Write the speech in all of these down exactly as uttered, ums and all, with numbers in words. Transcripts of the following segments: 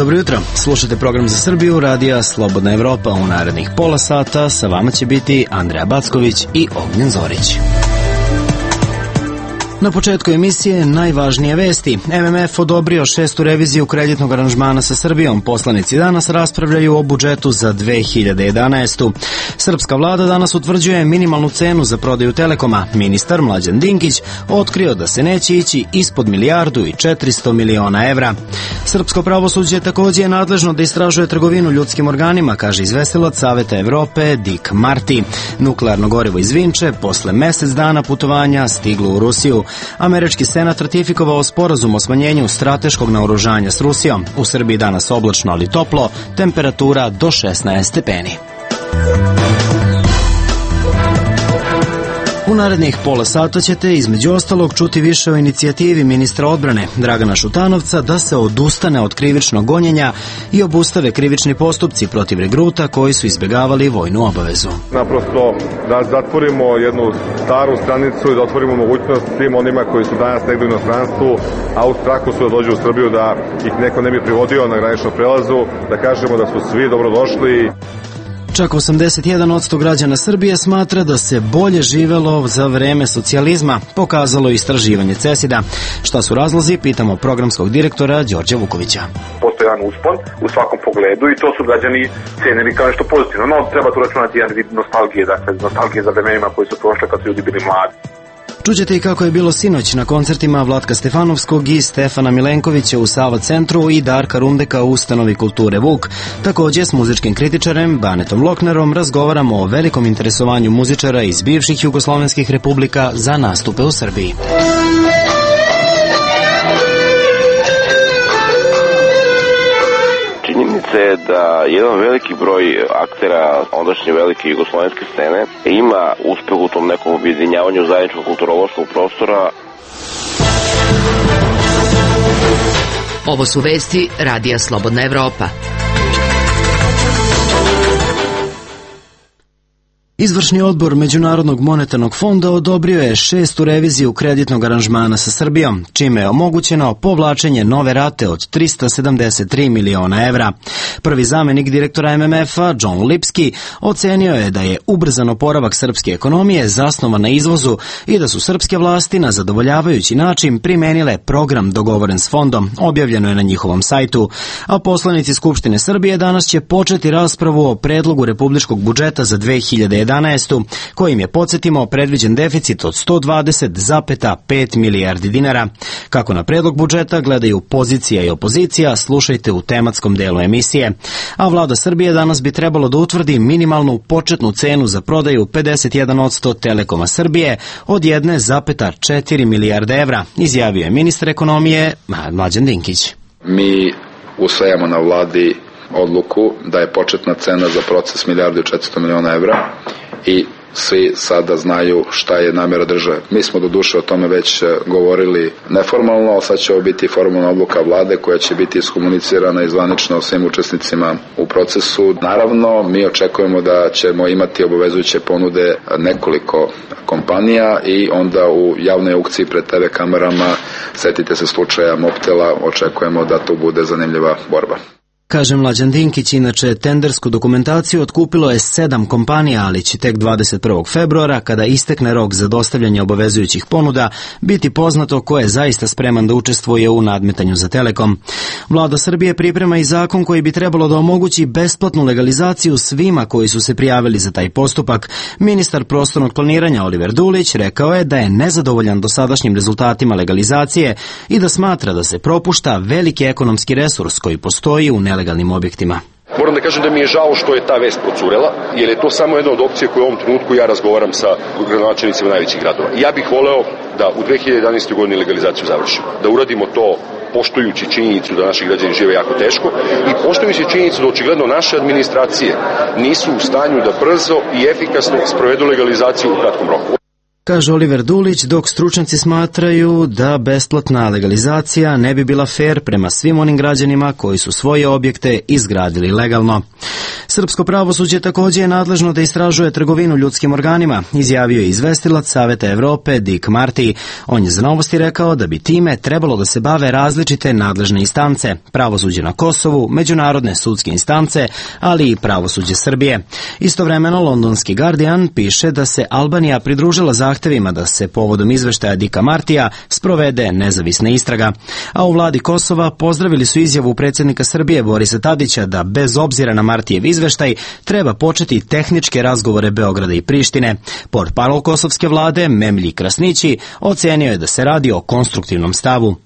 Dobro jutro, slušate program za Srbiju, radija Slobodna Evropa. U narednih pola sata sa vama će biti Andreja Backović i Ognjen Zorić. Na početku emisije najvažnije vesti. M M F odobrio šestu reviziju kreditnog aranžmana sa Srbijom. Poslanici danas raspravljaju o budžetu za dve hiljade jedanaestu. Srpska vlada danas utvrđuje minimalnu cenu za prodaju Telekoma. Ministar Mlađan Dinkić otkrio da se neće ići ispod milijardu i četiristo miliona evra. Srpsko pravosuđe također je nadležno da istražuje trgovinu ljudskim organima, kaže izvestilac Saveta Evrope Dick Marty. Nuklearno gorivo iz Vinče posle mesec dana putovanja stiglo u Rusiju. Američki senat ratifikovao sporazum o smanjenju strateškog naoružanja s Rusijom. U Srbiji danas oblačno, ali toplo, temperatura do šesnaest stepeni. U narednih pola sata ćete između ostalog čuti više o inicijativi ministra odbrane Dragana Šutanovca da se odustane od krivičnog gonjenja i obustave krivični postupci protiv regruta koji su izbjegavali vojnu obavezu. Naprosto da zatvorimo jednu staru stranicu i da otvorimo mogućnost svim onima koji su danas negdje u inostranstvu, a u strahu su da dođu u Srbiju da ih neko ne bi privodio na graničnom prelazu, da kažemo da su svi dobrodošli. Čak osamdeset jedan posto građana Srbije smatra da se bolje živelo za vreme socijalizma, pokazalo istraživanje CESID-a. Šta su razlozi, pitamo programskog direktora Đorđa Vukovića. Postoji jedan uspon u svakom pogledu i to su građani cenili kao nešto pozitivno. No, treba tu računati jedan vid nostalgije, dakle, nostalgije za vremenima koji su prošle kad su ljudi bili mladi. Čućete i kako je bilo sinoć na koncertima Vlatka Stefanovskog i Stefana Milenkovića u Sava centru i Darka Rundeka u ustanovi kulture Vuk. Također s muzičkim kritičarem Banetom Loknerom razgovaramo o velikom interesovanju muzičara iz bivših jugoslovenskih republika za nastupe u Srbiji. Činjenica je da jedan veliki broj aktera ondašnje velike jugoslovenske scene ima uspeh u tom nekom objedinjavanju zajedničkog kulturološkog prostora. Ovo su vesti radija Slobodna Evropa. Izvršni odbor Međunarodnog monetarnog fonda odobrio je šestu reviziju kreditnog aranžmana sa Srbijom, čime je omogućeno povlačenje nove rate od trista sedamdeset tri miliona evra. Prvi zamenik direktora M M F-a, John Lipski, ocenio je da je ubrzan oporavak srpske ekonomije zasnovan na izvozu i da su srpske vlasti na zadovoljavajući način primenile program dogovoren s fondom, objavljeno je na njihovom sajtu. A poslanici Skupštine Srbije danas će početi raspravu o predlogu republičkog budžeta za dve hiljade jedanaestu, kojim je, podsjetimo, predviđen deficit od sto dvadeset zarez pet milijardi dinara. Kako na predlog budžeta gledaju pozicija i opozicija, slušajte u tematskom delu emisije. A vlada Srbije danas bi trebalo da utvrdi minimalnu početnu cenu za prodaju pedeset jedan posto Telekoma Srbije od jedne zarez četiri milijarde evra, izjavio je ministar ekonomije Mlađan Dinkić. Mi usvajamo na vladi odluku da je početna cena za proces milijardu i četiristo miliona evra i svi sada znaju šta je namjera države. Mi smo do duše o tome već govorili neformalno, a sad će ovo biti formalna odluka vlade koja će biti iskomunicirana i zvanično svim učesnicima u procesu. Naravno, mi očekujemo da ćemo imati obavezujuće ponude nekoliko kompanija i onda u javnoj aukciji pred te ve kamerama, setite se slučaja Mobtela, očekujemo da to bude zanimljiva borba. Kaže Mlađan Dinkić, inače tendersku dokumentaciju otkupilo je sedam kompanija, ali će tek dvadeset prvog februara, kada istekne rok za dostavljanje obavezujućih ponuda, biti poznato ko je zaista spreman da učestvuje u nadmetanju za Telekom. Vlada Srbije priprema i zakon koji bi trebalo da omogući besplatnu legalizaciju svima koji su se prijavili za taj postupak. Ministar prostornog planiranja Oliver Dulić rekao je da je nezadovoljan dosadašnjim rezultatima legalizacije i da smatra da se propušta veliki ekonomski resurs koji postoji u nelegalnim objektima. Moram da kažem da mi je žao što je ta vest procurela, jer je to samo jedna od opcija koju u ovom trenutku ja razgovaram sa gradonačelnicima najvećih gradova. Ja bih voleo da u dve hiljade jedanaestoj godini legalizaciju završimo, da uradimo to poštujući činjenicu da naši građani žive jako teško i poštujući činjenicu da očigledno naše administracije nisu u stanju da brzo i efikasno sprovedu legalizaciju u kratkom roku. kaže Oliver Dulić, dok stručnjaci smatraju da besplatna legalizacija ne bi bila fer prema svim onim građanima koji su svoje objekte izgradili legalno. Srpsko pravosuđe također je nadležno da istražuje trgovinu ljudskim organima, izjavio je izvestilac Saveta Evrope Dick Marty. On je za Novosti rekao da bi time trebalo da se bave različite nadležne instance, pravosuđe na Kosovu, međunarodne sudske instance, ali i pravosuđe Srbije. Istovremeno, londonski Guardian piše da se Albanija pridružila zahtevima da se povodom izveštaja Dicka Martija sprovede nezavisna istraga. A u vladi Kosova pozdravili su izjavu predsjednika Srbije Borisa Tadića da bez obzira na Martijev izveštaj treba početi tehničke razgovore Beograda i Prištine. Portparol kosovske vlade Memlji Krasnići ocenio je da se radi o konstruktivnom stavu.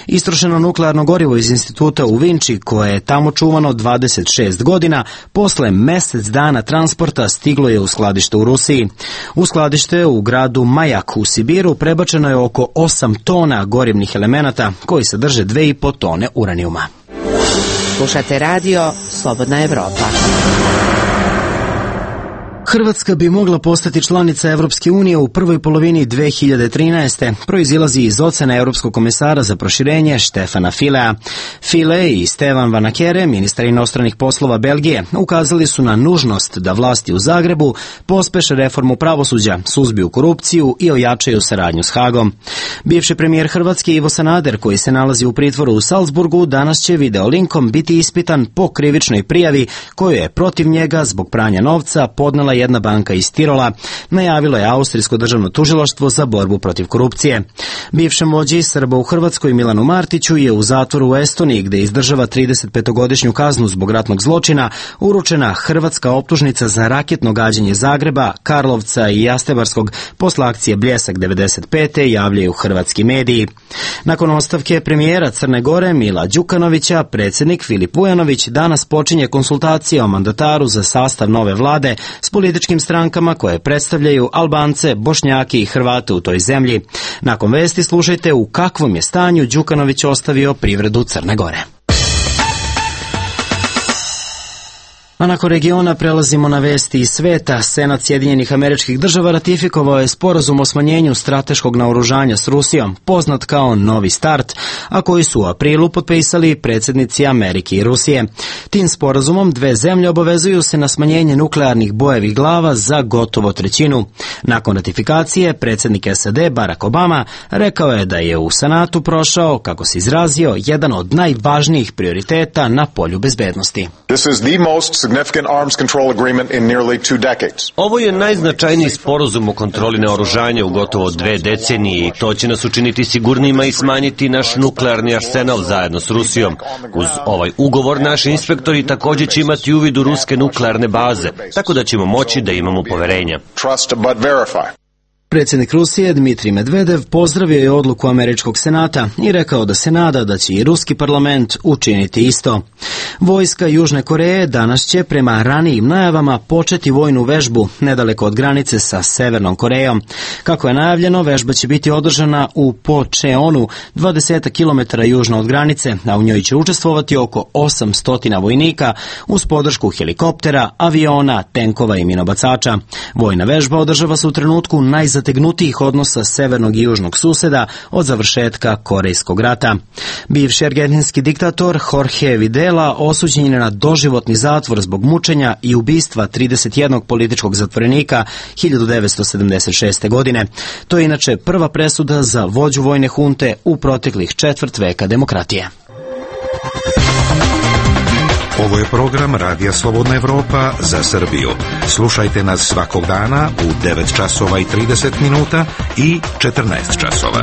Istrošeno nuklearno gorivo iz instituta u Vinči, koje je tamo čuvano dvadeset šest godina, posle mesec dana transporta stiglo je u skladište u Rusiji. U skladište u gradu Majak u Sibiru prebačeno je oko osam tona gorivnih elemenata koji sadrže dve i po tone uranijuma. Slušate radio Slobodna Evropa. Hrvatska bi mogla postati članica Evropske unije u prvoj polovini dve hiljade trinaeste. Proizilazi iz ocene Europskog komesara za proširenje Štefana Filea. File i Stevan Vanakere, ministar inostranih poslova Belgije, ukazali su na nužnost da vlasti u Zagrebu pospeše reformu pravosuđa, suzbiju korupciju i ojačaju saradnju s Hagom. Bivši premijer Hrvatske Ivo Sanader, koji se nalazi u pritvoru u Salzburgu, danas će videolinkom biti ispitan po krivičnoj prijavi koju je protiv njega zbog pranja novca podnela jedna banka iz Tirola, najavilo je Austrijsko državno tužilaštvo za borbu protiv korupcije. Bivšem vođi Srba u Hrvatskoj Milanu Martiću je u zatvoru u Estoniji, gde izdržava tridesetpetogodišnju kaznu zbog ratnog zločina, uručena hrvatska optužnica za raketno gađanje Zagreba, Karlovca i Jastebarskog posle akcije Bljesak devedeset pete javljaju hrvatski mediji. Nakon ostavke premijera Crne Gore Mila Đukanovića, predsjednik Filip Vujanović danas počinje konsultacije o mandataru za sastav nove vlade s političkim strankama koje predstavljaju Albance, Bošnjake i Hrvate u toj zemlji. Nakon vesti slušajte u kakvom je stanju Đukanović ostavio privredu Crne Gore. A nakon regiona prelazimo na vesti iz sveta. Senat Sjedinjenih Američkih Država ratifikovao je sporazum o smanjenju strateškog naoružanja s Rusijom, poznat kao Novi start, a koji su u aprilu potpisali predsjednici Amerike i Rusije. Tim sporazumom dve zemlje obavezuju se na smanjenje nuklearnih bojevih glava za gotovo trećinu. Nakon ratifikacije, predsjednik S A D Barack Obama rekao je da je u Senatu prošao, kako se izrazio, jedan od najvažnijih prioriteta na polju bezbednosti. This is the most significant arms control agreement in nearly two decades. Ovo je najznačajniji sporazum o kontroli naoružanja u gotovo dve decenije i to će nas učiniti sigurnijima i smanjiti naš nuklearni arsenal zajedno s Rusijom. Uz ovaj ugovor naši inspektori također će imati uvid u ruske nuklearne baze, tako da ćemo moći da imamo poverenja. Trust but verify. Predsjednik Rusije Dmitrij Medvedev pozdravio je odluku Američkog senata i rekao da se nada da će i ruski parlament učiniti isto. Vojska Južne Koreje danas će prema ranijim najavama početi vojnu vežbu nedaleko od granice sa Severnom Korejom. Kako je najavljeno, vežba će biti održana u Pocheonu, dvadeset kilometara južno od granice, a u njoj će učestvovati oko osamsto vojnika uz podršku helikoptera, aviona, tenkova i minobacača. Vojna vežba održava se u trenutku najzategnutijih odnosa severnog i južnog suseda od završetka Korejskog rata. Bivši argentinski diktator Jorge Videla osuđen je na doživotni zatvor zbog mučenja i ubistva trideset jednog političkog zatvorenika hiljadu devetsto sedamdeset šeste. godine. To je inače prva presuda za vođu vojne hunte u proteklih četvrt veka demokratije. Ovo je program Radija Slobodna Evropa za Srbiju. Slušajte nas svakog dana u devet časova i trideset minuta i četrnaest časova.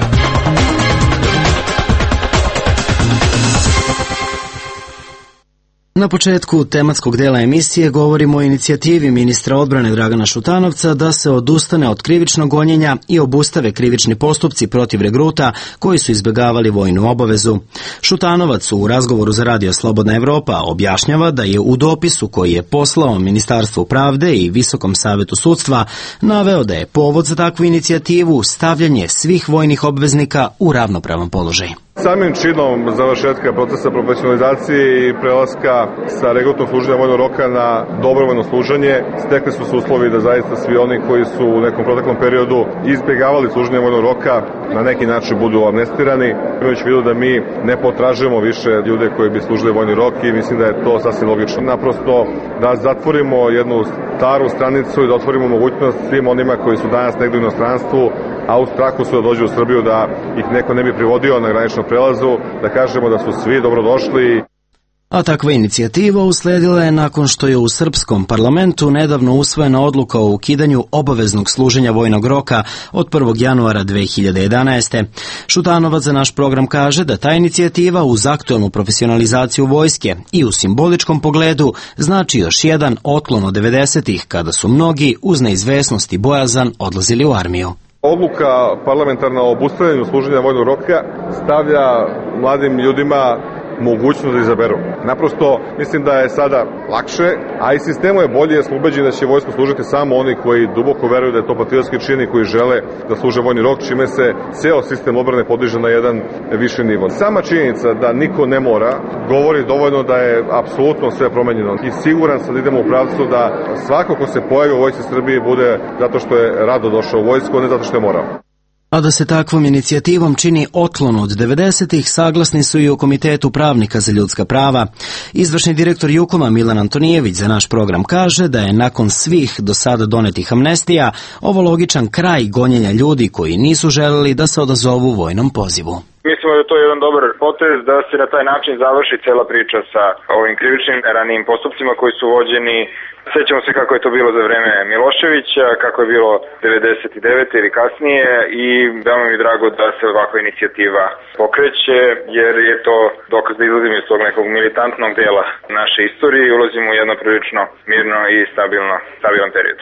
Na početku tematskog dela emisije govorimo o inicijativi ministra odbrane Dragana Šutanovca da se odustane od krivičnog gonjenja i obustave krivični postupci protiv regruta koji su izbjegavali vojnu obavezu. Šutanovac u razgovoru za Radio Slobodna Evropa objašnjava da je u dopisu koji je poslao Ministarstvu pravde i Visokom savetu sudstva naveo da je povod za takvu inicijativu stavljanje svih vojnih obveznika u ravnopravan položaj. Samim činom završetka procesa profesionalizacije i prelaska sa regrutnog služenja vojnog roka na dobrovoljno služenje, stekli su se uslovi da zaista svi oni koji su u nekom proteklom periodu izbjegavali služenje vojnog roka na neki način budu amnestirani. Imajući u vidu da mi ne potražujemo više ljude koji bi služili vojni rok i mislim da je to sasvim logično. Naprosto da zatvorimo jednu staru stranicu i da otvorimo mogućnost svim onima koji su danas negdje u inostranstvu, a u strahu su da dođu u Srbiju da ih neko ne bi privodio na graničnom prelazu, da kažemo da su svi dobrodošli. A takva inicijativa usledila je nakon što je u srpskom parlamentu nedavno usvojena odluka o ukidanju obaveznog služenja vojnog roka od prvog januara dve hiljade jedanaeste. Šutanovac za naš program kaže da ta inicijativa uz aktualnu profesionalizaciju vojske i u simboličkom pogledu znači još jedan otklon od devedesetih kada su mnogi uz neizvesnost i bojazan odlazili u armiju. Odluka parlamentarna o obustavljanju služenja vojnog roka stavlja mladim ljudima mogućnost da izaberu. Naprosto mislim da je sada lakše, a i sistemu je bolje jer smo ubeđeni da će vojsku služiti samo oni koji duboko veruju da je to patriotski čin i koji žele da služe vojni rok, čime se ceo sistem odbrane podiže na jedan viši nivo. Sama činjenica da niko ne mora govori dovoljno da je apsolutno sve promenjeno i siguran sam da idemo u pravcu da svako ko se pojavi u vojsci Srbije bude zato što je rado došao u vojsku, a ne zato što je morao. A da se takvom inicijativom čini otklon od devedesetih, saglasni su i u Komitetu pravnika za ljudska prava. Izvršni direktor Jukoma Milan Antonijević za naš program kaže da je nakon svih do sada donetih amnestija ovo logičan kraj gonjenja ljudi koji nisu želeli da se odazovu vojnom pozivu. Mislimo da je to jedan dobar potez da se na taj način završi cela priča sa ovim krivičnim ranijim postupcima koji su vođeni. Sećamo se kako je to bilo za vreme Miloševića, kako je bilo devedeset devete ili kasnije i veoma mi je drago da se ovakva inicijativa pokreće jer je to dokaz da izlazimo iz tog nekog militantnog dela naše istorije i ulazimo u jedno prilično mirno i stabilno, stabilan period.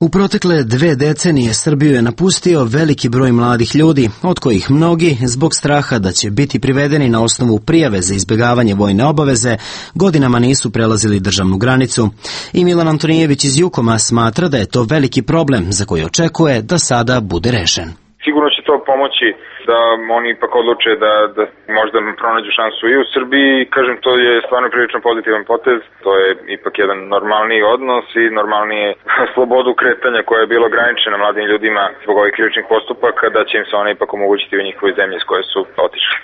U protekle dve decenije Srbiju je napustio veliki broj mladih ljudi, od kojih mnogi, zbog straha da će biti privedeni na osnovu prijave za izbjegavanje vojne obaveze, godinama nisu prelazili državnu granicu. I Milan Antonijević iz Jukoma smatra da je to veliki problem za koji očekuje da sada bude rešen. Sigurno će to pomoći da oni ipak odluče da, da možda pronađu šansu i u Srbiji. Kažem, to je stvarno prilično pozitivan potez. To je ipak jedan normalniji odnos i normalnije slobodu kretanja koja je bilo ograničena mladim ljudima zbog ovih krivičnih postupaka, da će im se ona ipak omogućiti u njihovoj zemlji s koje su otišli.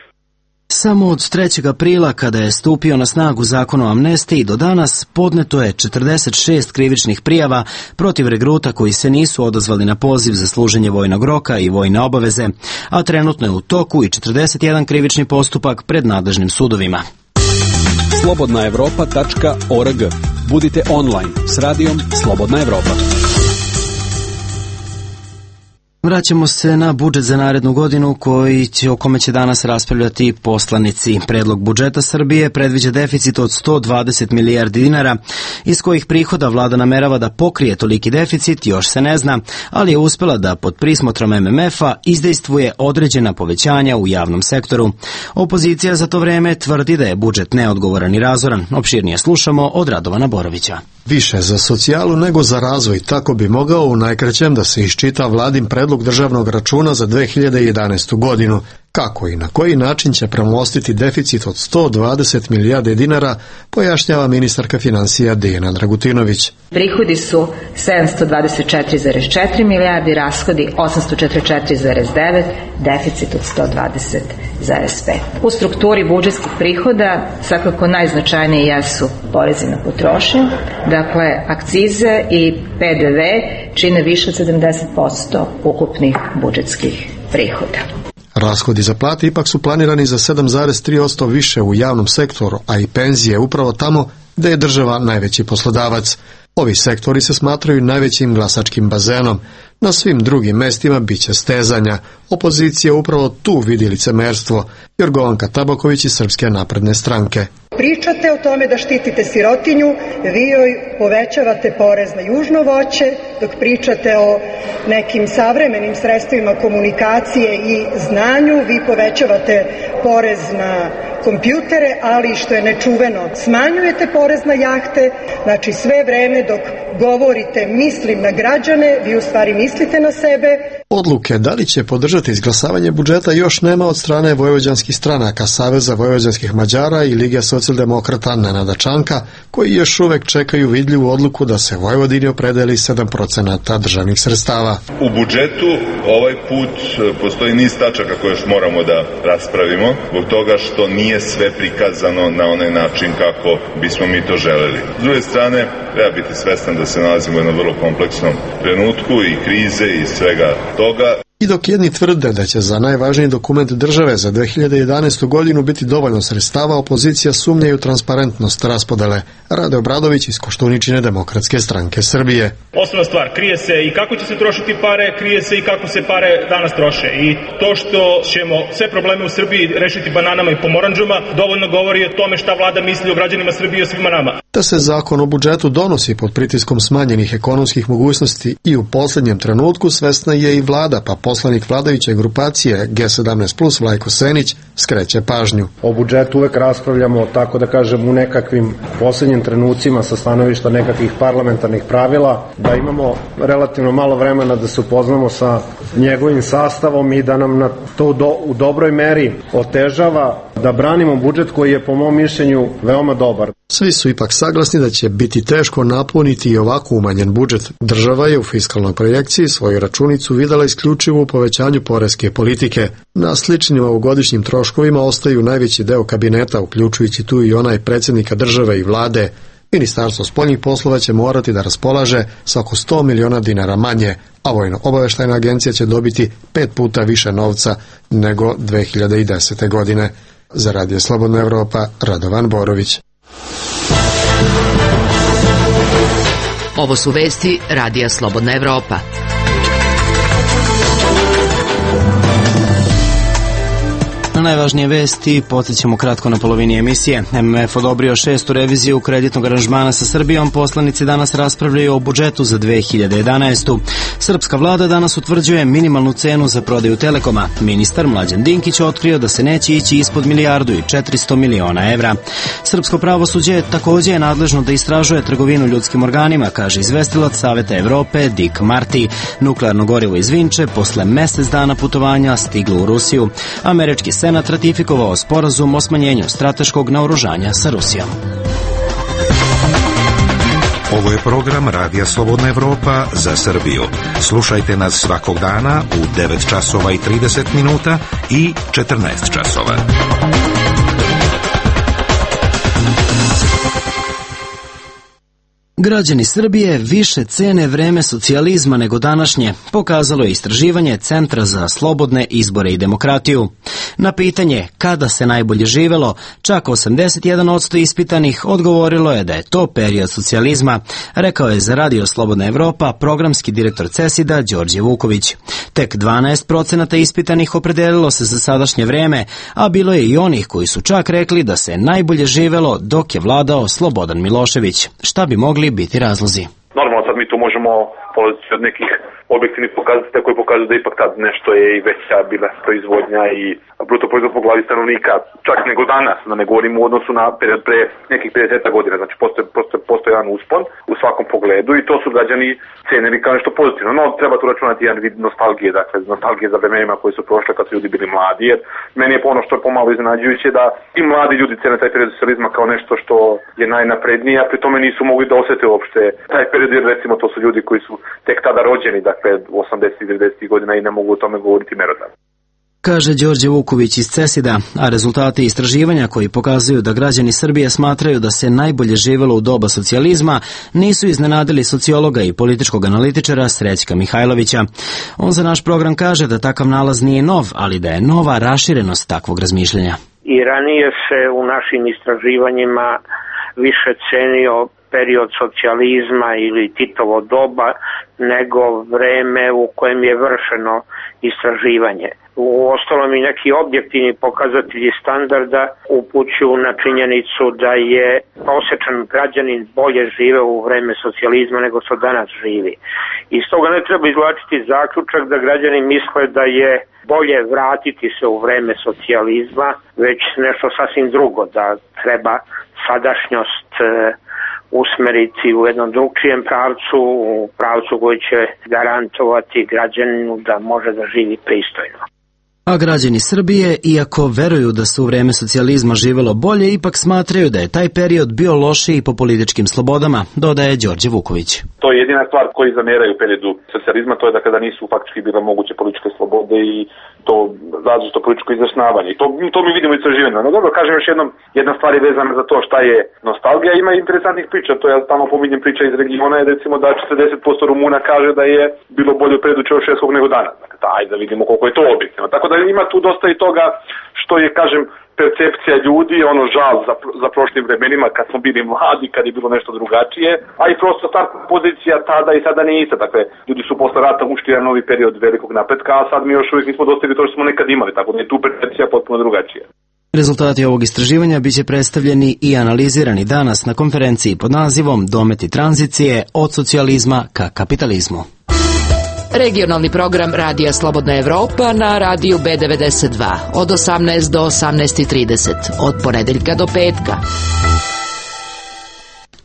Samo od trećeg aprila, kada je stupio na snagu zakon o amnestiji, do danas podneto je četrdeset šest krivičnih prijava protiv regruta koji se nisu odazvali na poziv za služenje vojnog roka i vojne obaveze, a trenutno je u toku i četrdeset jedan krivični postupak pred nadležnim sudovima. slobodna evropa tačka org. Budite online s radijom Slobodna Evropa. Vraćamo se na budžet za narednu godinu koji će, o kome će danas raspravljati poslanici. Predlog budžeta Srbije predviđa deficit od sto dvadeset milijardi dinara, iz kojih prihoda vlada namerava da pokrije toliki deficit, još se ne zna, ali je uspela da pod prismotrom M M F-a izdejstvuje određena povećanja u javnom sektoru. Opozicija za to vreme tvrdi da je budžet neodgovoran i razoran. Opširnije slušamo od Radovana Borovića. Više za socijalu nego za razvoj, tako bi mogao u najkraćem da se iščita vladin predlog državnog računa za dve hiljade jedanaestu godinu. Kako i na koji način će premostiti deficit od sto dvadeset milijardi dinara, pojašnjava ministarka finansija Dijana Dragutinović. Prihodi su sedamsto dvadeset četiri zarez četiri milijardi, rashodi osamsto četrdeset četiri zarez devet, deficit od sto dvadeset zarez pet. U strukturi budžetskih prihoda svakako najznačajnije jesu porezi na potrošnju, dakle akcize i P D V čine više od sedamdeset posto ukupnih budžetskih prihoda. Rashodi za plate ipak su planirani za sedam zarez tri posto više u javnom sektoru, a i penzije upravo tamo gde je država najveći poslodavac. Ovi sektori se smatraju najvećim glasačkim bazenom. Na svim drugim mestima biće stezanja. Opozicija upravo tu vidi licemerstvo. Jorgovanka Tabaković iz Srpske napredne stranke. Pričate o tome da štitite sirotinju, vi joj povećavate porez na južno voće, dok pričate o nekim savremenim sredstvima komunikacije i znanju, vi povećavate porez na kompjutere, ali što je nečuveno, smanjujete porez na jahte, znači sve vreme dok govorite mislim na građane, vi u stvari mislite na sebe. Odluke da li će podržati izglasavanje budžeta još nema od strane vojvođanskih stranaka Saveza vojvođanskih Mađara i Lige socijaldemokrata Nenada Čanka, koji još uvek čekaju vidljivu odluku da se Vojvodini opredeli sedam procenata državnih sredstava. U budžetu ovaj put postoji niz tačaka koje još moramo da raspravimo, zbog toga što nije sve prikazano na onaj način kako bismo mi to želeli. S druge strane, treba biti svestan da se nalazimo u jednom vrlo kompleksnom trenutku i krize i svega toga. I dok jedni tvrde da će za najvažniji dokument države za dve hiljade jedanaestu godinu biti dovoljno sredstava, opozicija sumnja u transparentnost raspodele. Rade Obradović iz Koštuničine Demokratske stranke Srbije. Osnovna stvar, krije se i kako će se trošiti pare, krije se i kako se pare danas troše. I to što ćemo sve probleme u Srbiji rešiti bananama i pomoranđama dovoljno govori o tome šta vlada misli o građanima Srbije i o svima nama. Da se zakon o budžetu donosi pod pritiskom smanjenih ekonomskih mogućnosti i u poslednjem trenutku svesna je i vlada, pa poslanik vladajuće grupacije G sedamnaest plus Vlajko Senić skreće pažnju. O budžetu uvek raspravljamo, tako da kažem, u nekakvim poslednjim trenucima sa stanovišta nekakvih parlamentarnih pravila, da imamo relativno malo vremena da se upoznamo sa njegovim sastavom i da nam na to do, u dobroj meri otežava da branimo budžet koji je po mom mišljenju veoma dobar. Svi su ipak saglasni da će biti teško napuniti i ovako umanjen budžet. Država je u fiskalnoj projekciji svoju računicu videla isključivo u povećanju poreske politike. Na sličnim ovogodišnjim troškovima ostaju najveći deo kabineta, uključujući tu i onaj predsjednika države i vlade. Ministarstvo spoljnih poslova će morati da raspolaže sa oko sto miliona dinara manje, a Vojno-obaveštajna agencija će dobiti pet puta više novca nego dve hiljade desete. godine. Za Radio Slobodna Evropa, Radovan Borović. Ovo su vesti Radija Slobodna Evropa. Na najvažnije vesti podsjećamo kratko na polovini emisije. M M F odobrio šestu reviziju kreditnog aranžmana sa Srbijom. Poslanici danas raspravljaju o budžetu za dve hiljade jedanaestu. Srpska vlada danas utvrđuje minimalnu cenu za prodaju Telekoma. Ministar Mlađan Dinkić otkrio da se neće ići ispod milijardu i četiristo miliona evra. Srpsko pravosuđe takođe je nadležno da istražuje trgovinu ljudskim organima, kaže izvestilac Saveta Evrope Dick Marty. Nuklearno gorivo iz Vinče posle mesec dana putovanja stiglo u Rusiju. Američki Senat ratifikovao sporazum o smanjenju strateškog naoružanja sa Rusijom. Ovo je program Radija Slobodna Evropa za Srbiju. Slušajte nas svakog dana u devet časova i trideset minuta i četrnaest časova. Građani Srbije više cene vreme socijalizma nego današnje, pokazalo je istraživanje Centra za slobodne izbore i demokratiju. Na pitanje kada se najbolje živelo, čak osamdeset jedan posto ispitanih odgovorilo je da je to period socijalizma, rekao je za Radio Slobodna Evropa programski direktor CESID-a Đorđe Vuković. Tek dvanaest procenata ispitanih opredelilo se za sadašnje vreme, a bilo je i onih koji su čak rekli da se najbolje živelo dok je vladao Slobodan Milošević. Šta bi mogli biti razlozi? Normalno sad mi tu možemo polaziti od nekih objektivnih pokazatelja koji pokazuju da ipak tad nešto je i veća bila proizvodnja i bruto proizvod po glavi stanovnika, čak nego danas, da ne govorimo u odnosu na period pre nekih pedeset godina, znači postoje, postoje, postoje jedan uspon u svakom pogledu i to su građani cenili kao nešto pozitivno, no treba tu računati jedan vid nostalgije, dakle nostalgije za vremenima koji su prošle kad su ljudi bili mladi, jer meni je ono što je pomalo iznenađujuće da i mladi ljudi cene taj period socijalizma kao nešto što je najnaprednije, a pri tome nisu mogli da osete uopšte taj period, jer recimo to su ljudi koji su tek tada rođeni, dakle osamdesetih devedesetih godina i ne mogu o tome govoriti merodavno. Kaže Đorđe Vuković iz CESID-a, a rezultati istraživanja koji pokazuju da građani Srbije smatraju da se najbolje živelo u doba socijalizma nisu iznenadili sociologa i političkog analitičara Srećka Mihajlovića. On za naš program kaže da takav nalaz nije nov, ali da je nova raširenost takvog razmišljanja. I ranije se u našim istraživanjima više cenio period socijalizma ili Titovo doba nego vreme u kojem je vršeno istraživanje. U ostalom i neki objektivni pokazatelji standarda upućuju na činjenicu da je prosječan građanin bolje živeo u vreme socijalizma nego što danas živi. Iz toga ne treba izvlačiti zaključak da građani misle da je bolje vratiti se u vreme socijalizma, već nešto sasvim drugo, da treba sadašnjost usmeriti u jednom drugčijem pravcu, u pravcu koji će garantovati građaninu da može da živi pristojno. A građani Srbije, iako veruju da se u vreme socijalizma živelo bolje, ipak smatraju da je taj period bio lošiji po političkim slobodama, dodaje Đorđe Vuković. To je jedina stvar koji zameraju u periodu socijalizma, to je da kada nisu faktički bile moguće političke slobode i to različito političko izjašnjavanje. I to, to mi vidimo u istraživanju. No dobro, kažem još jednom, jedna stvar je vezana za to šta je nostalgija. Ima interesantnih priča, to ja tamo pominjem priča iz regiona, je recimo da četrdeset posto Rumuna kaže da je bilo bolje u periodu Čaušeskog nego danas. Dakle, ajde da vidimo koliko je to objektivno. Tako da ima tu dosta i toga što je, kažem, percepcija ljudi, ono žal za, za prošlim vremenima kad smo bili mladi, kad je bilo nešto drugačije, a i prosto ta pozicija tada i sada nije ista. Dakle, ljudi su posle rata ušli jedan novi period velikog napretka, a sad mi još uvijek nismo dostigli to što smo nekad imali, tako da je tu percepcija potpuno drugačija. Rezultati ovog istraživanja biće predstavljeni i analizirani danas na konferenciji pod nazivom Dometi tranzicije od socijalizma ka kapitalizmu. Regionalni program Radija Slobodna Evropa na radiju B devedeset dva od osamnaest do osamnaest trideset, od ponedeljka do petka.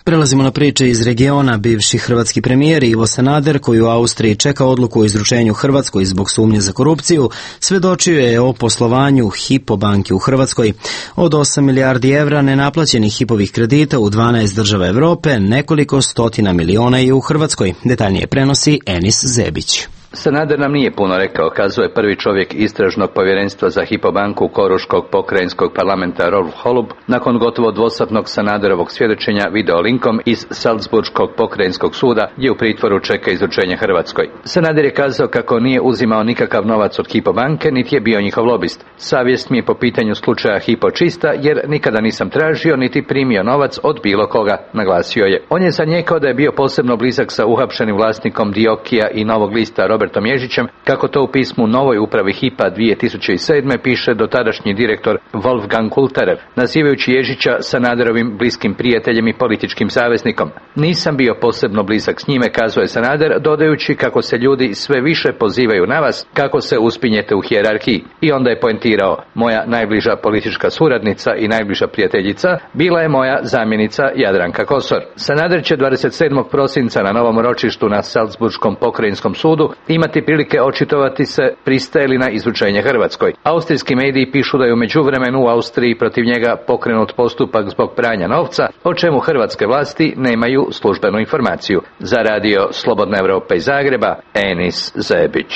Prelazimo na priče iz regiona. Bivši hrvatski premijer Ivo Sanader, koji u Austriji čeka odluku o izručenju Hrvatskoj zbog sumnje za korupciju, svedočio je o poslovanju Hypo banke u Hrvatskoj. Od osam milijardi evra nenaplaćenih Hypovih kredita u dvanaest država Evrope, nekoliko stotina miliona je u Hrvatskoj. Detaljnije prenosi Enis Zebić. Sanader nam nije puno rekao, kazuje prvi čovjek istražnog povjerenstva za Hypo banku Koruškog pokrajinskog parlamenta Rolf Holub, nakon gotovo dvosatnog Sanaderovog svjedočenja videolinkom iz Salzburškog pokrajinskog suda, gdje u pritvoru čeka izručenje Hrvatskoj. Sanader je kazao kako nije uzimao nikakav novac od Hypo banke, niti je bio njihov lobist. Savjest mi je po pitanju slučaja Hypo čista, jer nikada nisam tražio niti primio novac od bilo koga, naglasio je. On je zanijekao da je bio posebno blizak sa uhapšenim vlasnikom Diokija i Novog lista Robertom Ježićem, kako to u pismu novoj upravi Hypa dvije tisuće sedme piše dotadašnji direktor Wolfgang Kulterev, nazivajući Ježića Sanaderovim bliskim prijateljem i političkim saveznikom. Nisam bio posebno blizak s njime, kazuje Sanader, dodajući kako se ljudi sve više pozivaju na vas, kako se uspinjete u hijerarhiji. I onda je poentirao, moja najbliža politička suradnica i najbliža prijateljica bila je moja zamjenica Jadranka Kosor. Sanader će dvadeset sedmog prosinca na novom ročištu na Salzburškom pokrajinskom sudu imati prilike očitovati se pristaje li na izručenje Hrvatskoj. Austrijski mediji pišu da je u međuvremenu u Austriji protiv njega pokrenut postupak zbog pranja novca, o čemu hrvatske vlasti nemaju službenu informaciju. Za radio Slobodna Evropa iz Zagreba, Enis Zebić.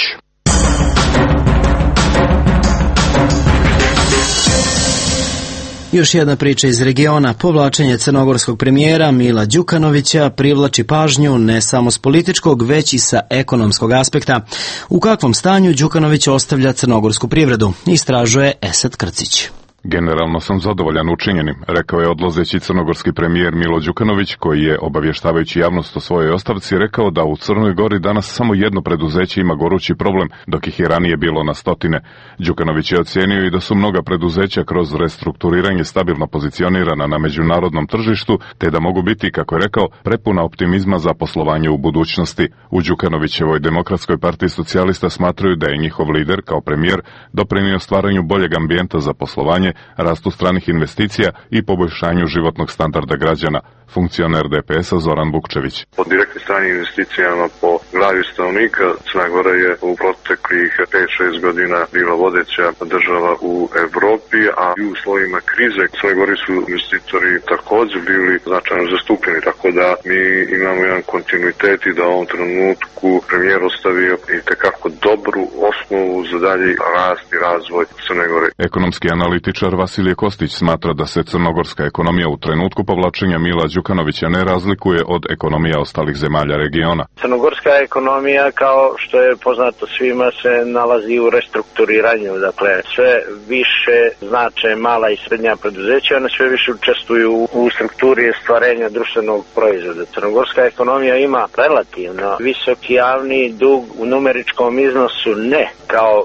Još jedna priča iz regiona. Povlačenje crnogorskog premijera Mila Đukanovića privlači pažnju ne samo s političkog, već i sa ekonomskog aspekta. U kakvom stanju Đukanović ostavlja crnogorsku privredu, istražuje Esad Krcić. Generalno sam zadovoljan učinjenim, rekao je odlazeći crnogorski premijer Milo Đukanović, koji je, obavještavajući javnost o svojoj ostavci, rekao da u Crnoj Gori danas samo jedno preduzeće ima gorući problem, dok ih je ranije bilo na stotine. Đukanović je ocijenio i da su mnoga preduzeća kroz restrukturiranje stabilno pozicionirana na međunarodnom tržištu, te da mogu biti, kako je rekao, prepuna optimizma za poslovanje u budućnosti. U Đukanovićevoj Demokratskoj partiji socijalista smatraju da je njihov lider, kao premijer, doprinio stvaranju boljeg ambijenta za poslovanje, rastu stranih investicija i poboljšanju životnog standarda građana. Funkcioner D P S-a Zoran Bukčević. Po direktnim stranim investicijama po glavi stanovnika Crna Gora je u proteklih pet šest godina bila vodeća država u Evropi, a i u uslovima krize u Crnoj Gori su investitori također bili značajno zastupljeni, tako da mi imamo jedan kontinuitet i da u ovom trenutku premijer ostavio i tekako dobru osnovu za dalji rast i razvoj Crne Gore. Ekonomski analitičar Vasilije Kostić smatra da se crnogorska ekonomija u trenutku povlačenja Mila Đukanovića ne razlikuje od ekonomija ostalih zemalja regiona. Crnogorska ekonomija, kao što je poznato svima, se nalazi u restrukturiranju. Dakle, sve više znače mala i srednja preduzeća, one sve više učestvuju u strukturi stvarenja društvenog proizvoda. Crnogorska ekonomija ima relativno visoki javni dug u numeričkom iznosu, ne kao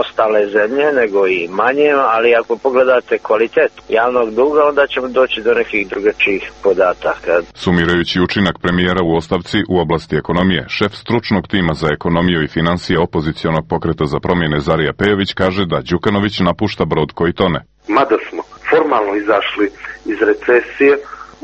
ostale zemlje, nego i manje, ali ako pogledate kvalitet javnog duga, onda ćemo doći do nekih drugačijih podataka. Sumirajući učinak premijera u ostavci u oblasti ekonomije, šef stručnog tima za ekonomiju i financije opozicionog pokreta za promjene Zarija Pejović kaže da Đukanović napušta brod koji tone. Mada smo formalno izašli iz recesije,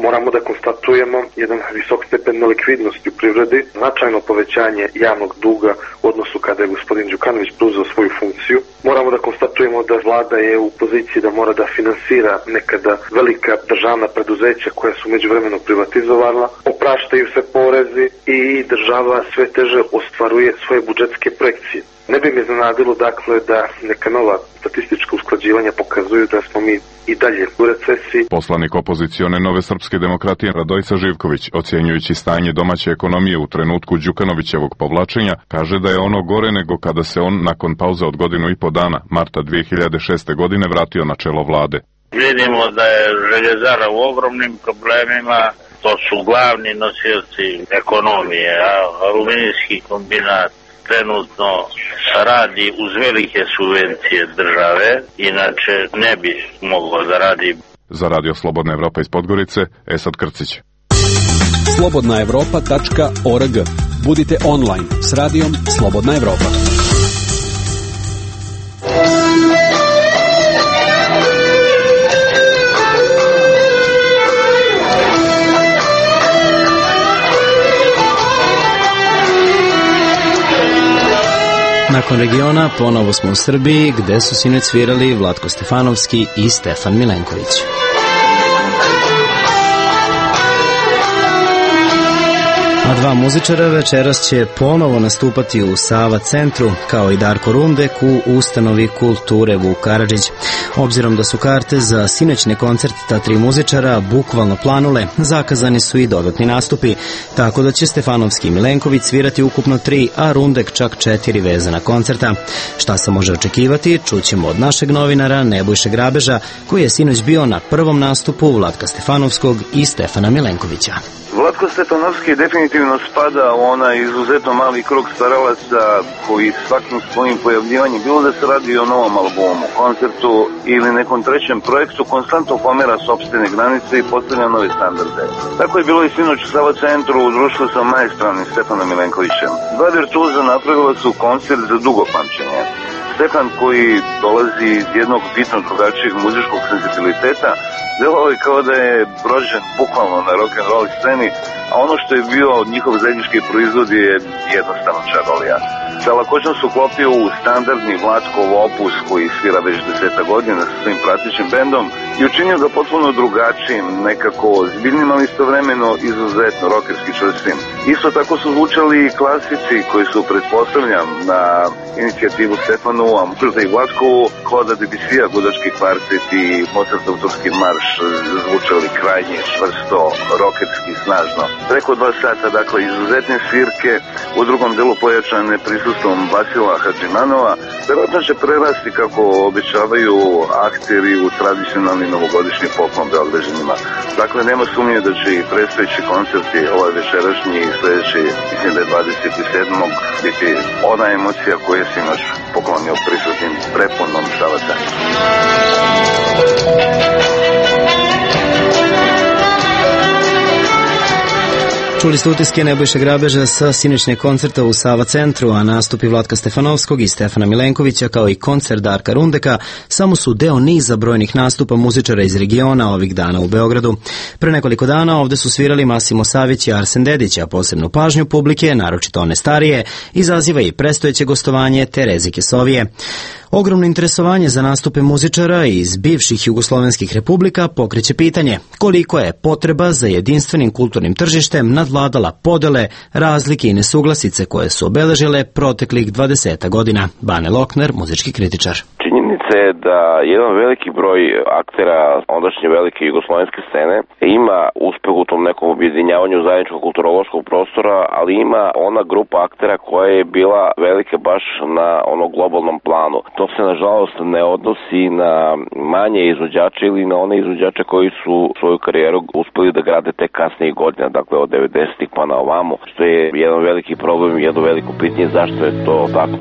moramo da konstatujemo jedan visok stepen nelikvidnosti u privredi, značajno povećanje javnog duga u odnosu kada je gospodin Đukanović preuzeo svoju funkciju. Moramo da konstatujemo da vlada je u poziciji da mora da finansira nekada velika državna preduzeća koja su međuvremeno privatizovala, opraštaju se porezi i država sve teže ostvaruje svoje budžetske projekcije. Ne bi me iznenadilo dakle da neka nova statistička usklađivanja pokazuju da smo mi i dalje u recesiji. Poslanik opozicione Nove srpske demokratije Radojica Živković, ocjenjujući stanje domaće ekonomije u trenutku Đukanovićevog povlačenja, kaže da je ono gore nego kada se on nakon pauze od godinu i po dana, marta dve hiljade šeste. godine, vratio na čelo vlade. Vidimo da je Željezara u ogromnim problemima, to su glavni nosioci ekonomije, a aluminijski kombinat trenutno radi uz velike subvencije države, inače ne bi moglo da radi. Za Radio Slobodna Evropa iz Podgorice, Esad Krcić. slobodna evropa tačka org. Budite online s radijom Slobodna Evropa. Nakon regiona ponovo smo u Srbiji, gde su sinoć svirali Vlatko Stefanovski i Stefan Milenković. A dva muzičara večeras će ponovo nastupati u Sava centru, kao i Darko Rundek u ustanovi kulture Vuk Karadžić. Obzirom da su karte za sinoćne koncerte ta tri muzičara bukvalno planule, zakazani su i dodatni nastupi, tako da će Stefanovski i Milenković svirati ukupno tri, a Rundek čak četiri vezana koncerta. Šta se može očekivati, čućemo od našeg novinara Nebojše Grabeža, koji je sinoć bio na prvom nastupu Vlatka Stefanovskog i Stefana Milenkovića. Vlatko Stefanovski definitivno spada u onaj izuzetno mali krug stvaralaca koji svakim svojim pojavljivanjem, bilo da se radi o novom albumu, koncertu ili nekom trećem projektu, konstantno pomera sopstvene granice i postavlja nove standarde. Tako je bilo i sinoć u Sava centru u društvu sa maestranim Stefanom Milenkovićem. Dva virtuoza napravila su koncert za dugo pamćenje. Stefan, koji dolazi iz jednog bitno drugačijeg muzičkog senzibiliteta, delao je kao da je rođen bukvalno na rock'n'roll sceni, a ono što je bio njihov zajednički proizvod je jednostavno čarolija. Sa lakoćom su uklopio u standardni Vlatkov opus koji svira već deseta godina sa svojim pratećim bendom i učinio ga potpuno drugačijim, nekako zbiljnim, ali istovremeno izuzetno rockerski čvrstim. Isto tako su zvučali i klasici koji su, pretpostavljam, na inicijativu Stefanu, a možda i Vlatkovu, Claude'a Debussya, Gudački kvartet i Mozartov turski marš zvučali krajnje čvrsto, rockerski, snažno. Preko dva sata, dakle, izuzetne svirke, u drugom delu pojačane prisustvom Vasila Hadžimanova, verovatno će prerasti, kako običavaju akteri, u tradicionalni novogodišnji poklon Beograđanima. Dakle, nema sumnje da će i predstojeći koncerti, ovaj večerašnji i sledeći, mislim da je dvadeset sedmog biti ona emocija koja je sinoć poklonio prisutnim prepunom Sava centra. Čuli ste utiske Nebojše Grabeža sa sinoćnjeg koncerta u Sava centru, a nastupi Vlatka Stefanovskog i Stefana Milenkovića kao i koncert Darka Rundeka samo su deo niza brojnih nastupa muzičara iz regiona ovih dana u Beogradu. Pre nekoliko dana ovde su svirali Masimo Savić i Arsen Dedić, a posebnu pažnju publike, naročito one starije, izaziva i prestojeće gostovanje Tereze Kesovije. Ogromno interesovanje za nastupe muzičara iz bivših jugoslovenskih republika pokreće pitanje koliko je potreba za jedinstvenim kulturnim tržištem nadvladala podele, razlike i nesuglasice koje su obeležile proteklih dvadeset godina. Bane Lokner, muzički kritičar. Činjenica je da jedan veliki broj aktera ondašnje velike jugoslovenske scene ima uspeh u tom nekom objedinjavanju zajedničkog kulturološkog prostora, ali ima ona grupa aktera koja je bila velika baš na onom globalnom planu. To se nažalost ne odnosi na manje izvođače ili na one izvođače koji su svoju karijeru uspeli da grade tek kasnijih godina, dakle od devedesetih pa na ovamo, što je jedan veliki problem i jedno veliko pitanje zašto je to tako.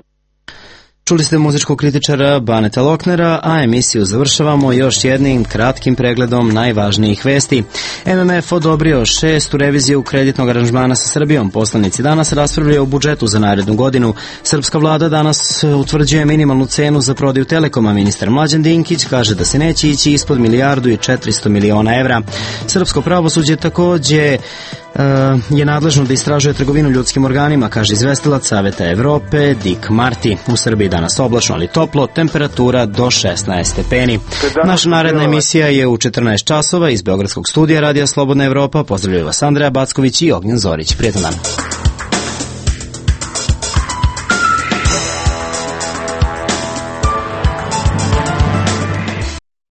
Čuli ste muzičkog kritičara Baneta Loknera, a emisiju završavamo još jednim kratkim pregledom najvažnijih vesti. M M F odobrio šestu reviziju kreditnog aranžmana sa Srbijom. Poslanici danas raspravljaju o budžetu za narednu godinu. Srpska vlada danas utvrđuje minimalnu cenu za prodaju Telekoma. Ministar Mlađan Dinkić kaže da se neće ići ispod milijardu i četiristo miliona evra. Srpsko pravosuđe takođe je nadležno da istražuje trgovinu ljudskim organima, kaže izvestilac Saveta Evrope Dick Marty. U Srbiji danas oblačno, ali toplo, temperatura do šesnaest stepeni. Naša naredna emisija je u četrnaest časova iz Beogradskog studija Radija Slobodna Evropa. Pozdravljaju vas Andreja Backović i Ognjen Zorić. Prijetan dan.